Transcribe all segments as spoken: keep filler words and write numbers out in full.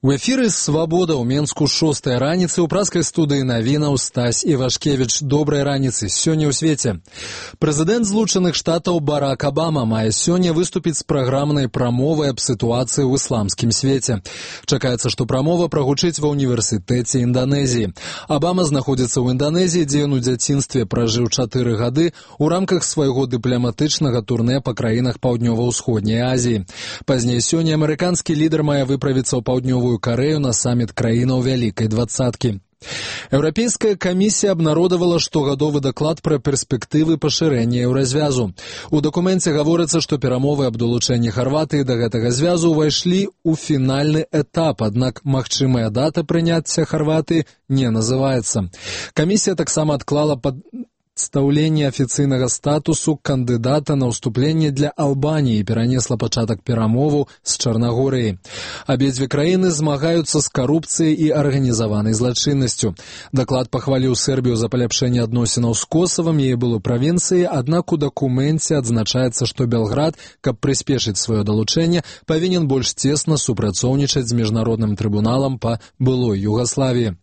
У эфіры «Свабода» ў Менску шостая раніцы ў праскай студыі навінаў Стась Івашкевіч. Добрай раніцы. Сёння ў свеце. Прэзідэнт Злучаных Штатаў Барак Абама мае сёння выступіць з праграмнай прамовай аб сітуацыі ў ісламскім свеце. Чакаецца, што прамова прагучыць ва ўніверсітэце Інданезіі. Абама знаходзіцца ў Інданезіі, дзе ён у дзяцінстве пражыў чатыры гады у рамках свайго дыпламатычнага турнэ па краінах Паўднёва-ўсходняй Азіі. Пазней сёння амерыканскі лідар мае выправіцца ў паўднёвую Корею на саммит краінаў Вялікай двадцаткі. Еўрапейская камісія абнародавала штогадовы даклад пра перспектывы пашырэння еўразвязу. У дакуменце гаворыцца, што перамовы аб далучэнні Харватыі да гэтага звязу ўвайшлі ў фінальны этап, аднак магчымая дата прыняцця Харватыі не называецца. Камісія таксама адклала пад стаўленне афіцыйнага статусу кандыдата на ўступленне для Албаніі і перанесла пачатак перамоваў з Чарнагорыяй. Абедзве краіны змагаюцца з карупцыяй і арганізаванай злачыннасцю. Даклад пахваліў Сербію за паляпшэнне адносінаў з Косавам, яе былой правінцыяй, аднак у дакуменце адзначаецца, што Белград, каб прыспешыць сваё далучэнне, павінен больш цесна супрацоўнічаць з міжнародным трыбуналам па былой Югаславіі.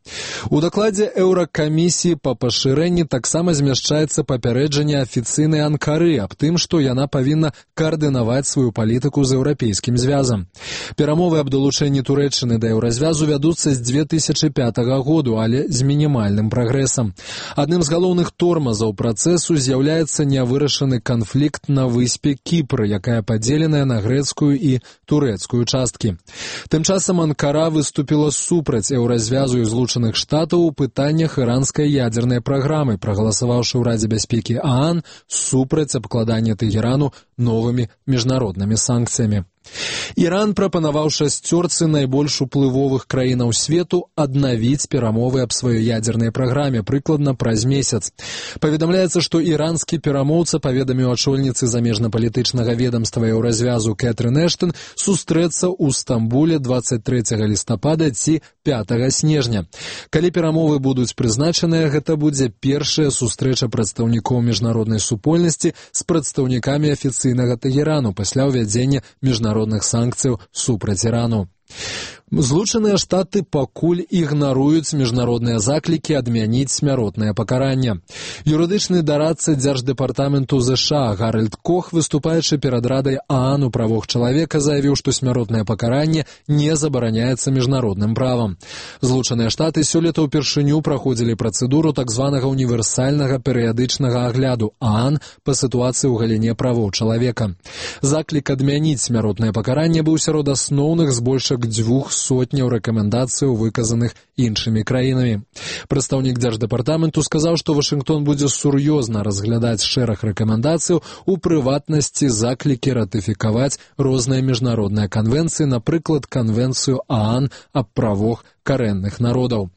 У дакладзе Еўракамісіі па пашырэнні таксама змяшчаецца Змяшчаецца папярэджанне афіцыйнай Анкары аб тым, што яна павінна каардынаваць сваю палітыку з еўрапейскім звязам. Перамовы аб далучэнні Турэччыны да еўразвязу вядуцца з дзве тысячы пятага году, але з мінімальным прагрэсам. Адным з галоўных тормазаў працэсу з'яўляецца нявырашаны канфлікт на выспе Кіпр, якая падзеленая на грэцкую і турэцкую часткі. Тым часам Анкара выступіла супраць еўразвязу і Злучаных Штатаў у пытаннях іранскай ядзернай праграмы, прагаласаваўшы ў Радзе бяспекі ААН супраць абкладання Тэгерану новымі міжнароднымі санкцыямі. Іран прапанаваў шасцёрцы найбольш уплывовых краінаў свету аднавіць перамовы аб сваёй ядзернай праграме прыкладна праз месяц. Паведамляецца, што іранскі перамоўца паведаміў ачольніцы замежнапалітычнага ведамства еўразвязу Кэтрын Эштон сустрэцца ў Стамбуле дваццаць трэцяга лістапада ці пятага снежня. Калі перамовы будуць прызначаныя, гэта будзе першая сустрэча прадстаўнікоў міжнароднай супольнасці з прадстаўнікамі афіцыйнага Тэгерану пасля ўвядзення міжнародных санкцыяў супраць Ірану. Злучаныя Штаты пакуль ігнаруюць міжнародныя заклікі адмяніць смяротнае пакаранне. Юрыдычны дарадца Дзярждэпартаменту ЗША Гаральд Кох, выступаючы перад Радай ААН у правах чалавека, заявіў, што смяротнае пакаранне не забараняецца міжнародным правам. Злучаныя Штаты сёлета ўпершыню праходзілі працэдуру так званага універсальнага перыядычнага агляду ААН па сітуацыі ў галіне правоў чалавека. Заклік адмяніць смяротнае пакаранне быў сярод асноўных збольшак дзвюх сотняў рэкамендацыяў, выказаных іншымі краінамі. Прадстаўнік Дзярждэпартаменту сказаў, што Вашынгтон будзе сур'ёзна разглядаць шэраг рэкамендацыяў, у прыватнасці заклікі ратыфікаваць розныя міжнародныя канвенцыі, напрыклад, канвенцыю ААН аб правах карэнных народаў.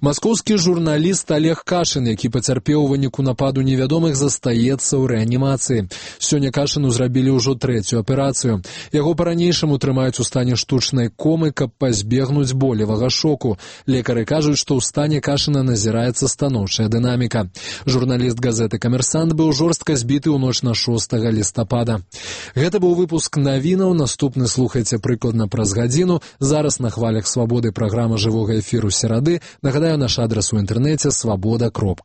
Маскоўскі журналіст Олег Кашын, які пацярпеў у выніку нападу невядомых, застаецца ў рэанімацыі. Сёння Кашыну зрабілі ўжо трэцюю аперацыю. Яго па-ранейшаму трымаюць у стане штучнай комы, каб пазбегнуць болевага шоку. Лекары кажуць, што ў стане Кашына назіраецца станоўчая дынаміка. Журналіст газеты «Камерсант» быў жорстка збіты ў ноч на шостага лістапада. Гэта быў выпуск навінаў. Наступны слухайце прыкладна праз гадзіну. Зараз на хвалях «Свабоды» праграма жывога эфіру серады. Нагадаю, наш адрас у інтэрнэце свабода кропка